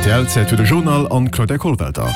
Rtl, Zäit fir de Journal an d'Claudia Kollwelter.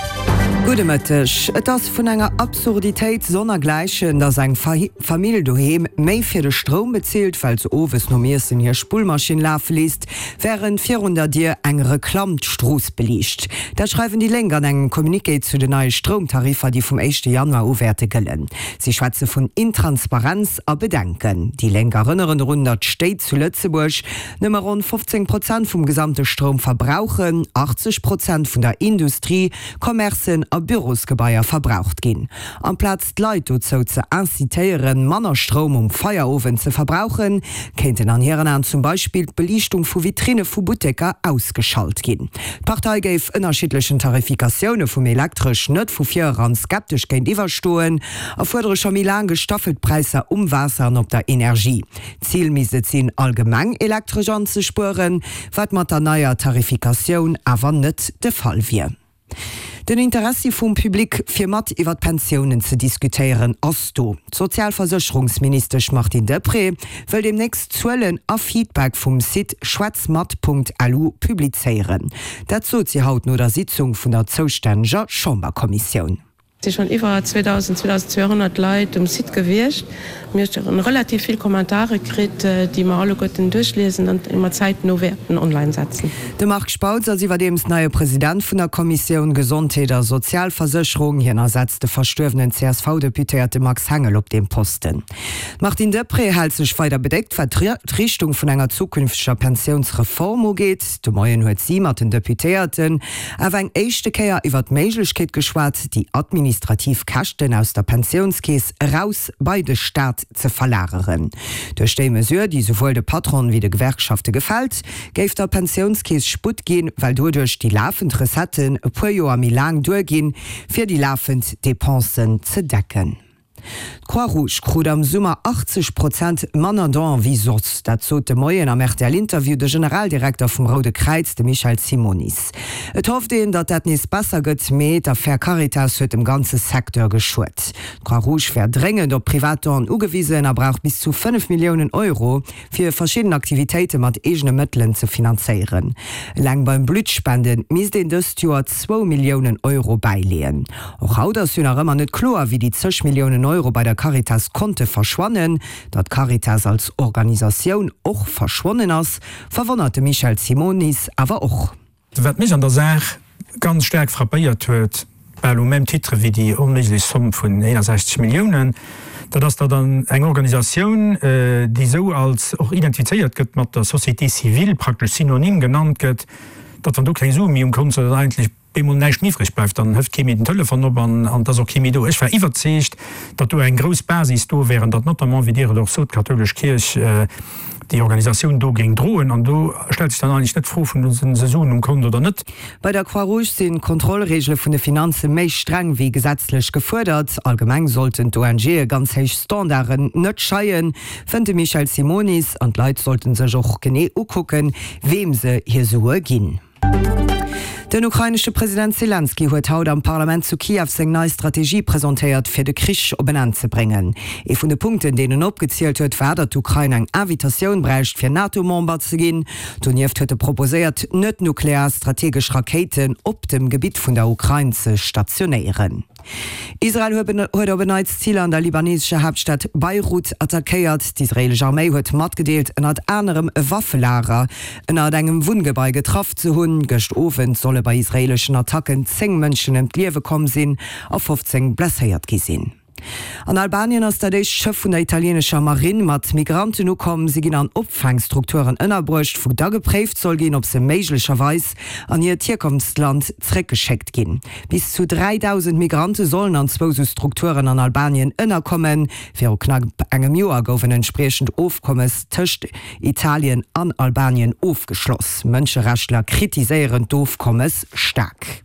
Gudde Mëtteg. Et ass vun enger Absurditéit sonnergläichen, datt eng Famill doheem méi fir de Stroum bezilt, well se owes nom Iessen hir Spullmaschinn lafe léisst, wärend virun der Dier eng Reklamm d'Strooss beliicht. Dat schreiwen déi Lénk an engem Communiqué zu den neie Stroumtariffer, déi vum éischte Januar u wäerte gëllen. Si schwätze vun Intransparenz a Bedenken. Déi Lénk erënneren drun, datt d'Stéit zu Lëtzebuerg nëmme ronn 15 Prozent vum gesamte Stroum verbrauchen, 80 Prozent vun der Industrie, Commercen a Bürosgebaier verbraucht ginn. Amplaz d'Leit dozou ze incitéieren, manner Stroum um Feierowend ze verbrauchen, kéinten an hiren Aen zum Beispill d'Beliichtung vu Vitrinne vu Butteker ausgeschalt ginn. D'Partei géif ënnerschiddlechen Tarifikatioune vum Elektresch net vu vir eran skeptesch géintiwwer stoen a fuerdere scho méi laang gestaffelt Präisser um Waasser an op der Energie. Zil misst et sinn, allgemeng Elektresch anzespueren, wat mat der neier Tarifikatioun awer net de Fall wier. Den Interessi vum Public, fir mat iwwer d'Pensiounen ze diskutéieren, ass do. D'Sozialversécherungsministesch Martine Deprez wëll deemnächst Zuelen a Feedback vum Site schwätzmat.lu publizéieren. Dat sot si haut no der Sitzung vun der zoustänneger Chamberkommissioun. Et si schonn iwwer 2.000, 2.200 Leit um Site gewiescht. Mir hu relativ vill Kommentare kritt, déi mer alleguerten duerchliesen an déi mer zäitno wäerten online setzen. De Marc Spautz ass iwwerdeems neie President vun der Kommissioun Gesondheet a Sozialversécherung. Hien ersetzt de verstuerwenen CSV-Deputéierte Max Hengel op deem Posten. D'Martine Deprez hält sech weider bedéckt, wat d'Richtung vun enger zukünfteger Pensiounsreform ugeet. De Moien huet si mat den Deputéierten awer eng éischte Kéier iwwer d'Méiglechkeet geschwat, déi administrativ Käschten aus der Pensiounskeess eraus bei de Staat ze verlageren. Duerch déi Mesure, déi souwuel de Patronen wéi de Gewerkschafte gefält, géif der Pensiounskeess Sputt ginn, well doduerch déi lafend Recetten e puer Joer méi laang duerginn, fir déi lafend Depensen ze decken. D'Croix-Rouge krut am Summer 80 Prozent manner Don wéi soss. Dat sot de Moien am RTL-Interview de Generaldirekter vum Roude Kräiz, de Michel Simonis. Et hofft een, datt dat nees besser gëtt, mee d'Affär Caritas huet dem ganze Secteur geschuet. D'Croix-Rouge wär dréngend op privat Donen ugewisen a brauch bis zu 5 Milliounen Euro. fir verschidden Aktivitéite mat eegene Mëttelen ze finanzéieren. Eleng beim Bluttspende misst een dëst Joer zwou Milliounen Euro bäileeën. Och haut ass jo nach ëmmer net kloer, wéi déi zeg Milliounen Euro bei der Caritas konnte verschwannen. Datt d'Caritas als Organisatioun och verschwonnen ass, verwonnert de Michel Simonis awer och. Wat mech an der Saach ganz staark frappéiert huet, bal au même titre wéi déi onméiglech Somm vun 61 Milliounen, dat ass, datt an eng Organisatioun, déi esou als och identifizéiert gëtt mat der Société civile, praktesch synonym genannt gëtt, datt wann do keng Sue méi um Kont sinn, datt eigentlech bemol näischt méi iwwreg bleift, dann hëft kee méi den Telefon op an et ass och kee méi do. Ech war iwwerzeegt, datt do eng grouss Basis do wär an datt notamment, wéi Dir et och sot, d'kathoulesch Kierch déi Organisatioun do géing droen. An do stellt sech dann eigentlech net d'Fro vun, Hu se Suen um Kont oder net? Bei der Croix-Rouge sinn d'Kontrollreegele vun de Finanze méi streng wéi gesetzlech gefuerdert. Allgemeng sollten d'ONGe ganz héich Standarden net scheien, fënnt de Michel Simonis. An d'Leit sollten sech och genee ukucken, weem se hir Sue ginn. Den ukrainesche President Selenskyj huet haut am Parlament zu Kiew seng nei Strategie presentéiert, fir de Krich op en Enn ze bréngen. Ee vun de Punkten, deen en opgezielt huet, war, datt d'Ukrain eng Invitatioun bräicht, fir NATO-Member ze ginn. Donieft huet e proposéiert, net-nuklear strategesch Rakéiten op dem Gebitt vun der Ukrain ze stationéieren. Israel huet op en Neits Ziler an der libanesescher Haaptstad Beirut attackéiert. D'israeelesch Arméi huet matgedeelt, ënnert anerem e Waffelager ënnert engem Wunngebai getraff ze hunn. Gëscht Owend solle bei israeeleschen Attacken 10 Mënschen ëm d'Liewe komm sinn a 15 blesséiert gi sinn. An Albanien ass dat éischt Schëff vun der italienescher Marinn mat Migranten ukomm. Si ginn an Opfaangstrukturen ënnerbruecht, wou da gepréift soll ginn, ob se méiglecherweis an hiert Hierkonftsland zréckgeschéckt ginn. Bis zu 3.000 Migrante sollen an zwou sou Strukturen an Albanien ënnerkommen. Viru knapp engem Joer gouf en entspriechend Ofkommes tëscht Italien an Albanien ofgeschloss. Mënscherechtler kritiséieren d'Ofkommes staark.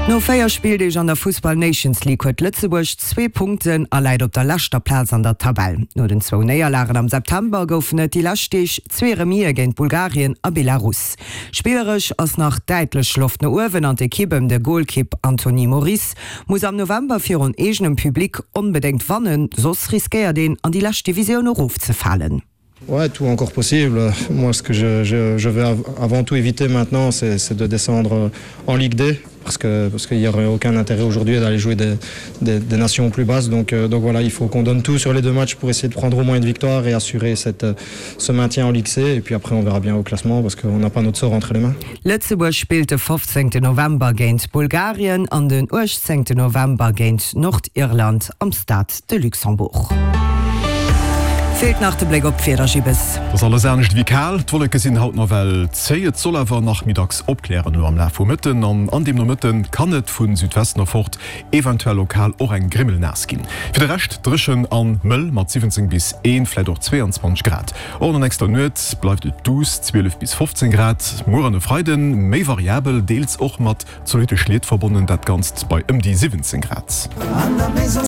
No 4 Spilldeeg an der Fussball Nations League huet Lëtzebuerg zwee Punkten a läit op der leschter Plaz an der Tabell. No den zwou Néierlagen am September goufen et déi lescht Deeg zwee Remise géint Bulgarien a Belarus. Spilleresch ass nach däitlech Loft no uewen an d'Ekipp ëm de Golkipp Anthony Moris muss am November virun eegenem Public onbedéngt wannen, soss riskéiert een an déi lescht Divisioun erofzefalen. Ouais, tout encore possible. Moi, ce que je, je, je veux avant tout éviter maintenant, c'est de descendre en Ligue D parce que parce qu'il n'y aurait aucun intérêt aujourd'hui d'aller jouer des, des, des nations plus basses. Donc, euh, donc voilà, il faut qu'on donne tout sur les deux matchs pour essayer de prendre au moins une victoire et assurer cette, ce maintien en Ligue C. Et puis après, on verra bien au classement parce qu'on n'a pas notre sort entre les mains. Lëtzebuerg spillt de 15. November géint Bulgarien an den 18. November géint Nordirland am Stade de Luxembourg. Feelt nach de Bléck op d'Wieder, Gibbes. Et ass alles anescht ewéi kal, d'Wolleke sinn haut nawell zéi, et soll awer nach méi dacks opklären elo am Laf vum Mëtten an an deem Nomëtte kann et vu Südwesten erfort eventuell lokal och eng Grimmel naass ginn. Fir de Rescht dréchen an mëll mat 17 bis 1, vläit och 22 Grad. Och an der nächster Nuet bleift et duuss, 12 bis 15 Grad. Muer an e Freiden méi variabel, deels och mat zolitte Schliet verbonnen, dat Ganzt bei ëm déi 17 Grad.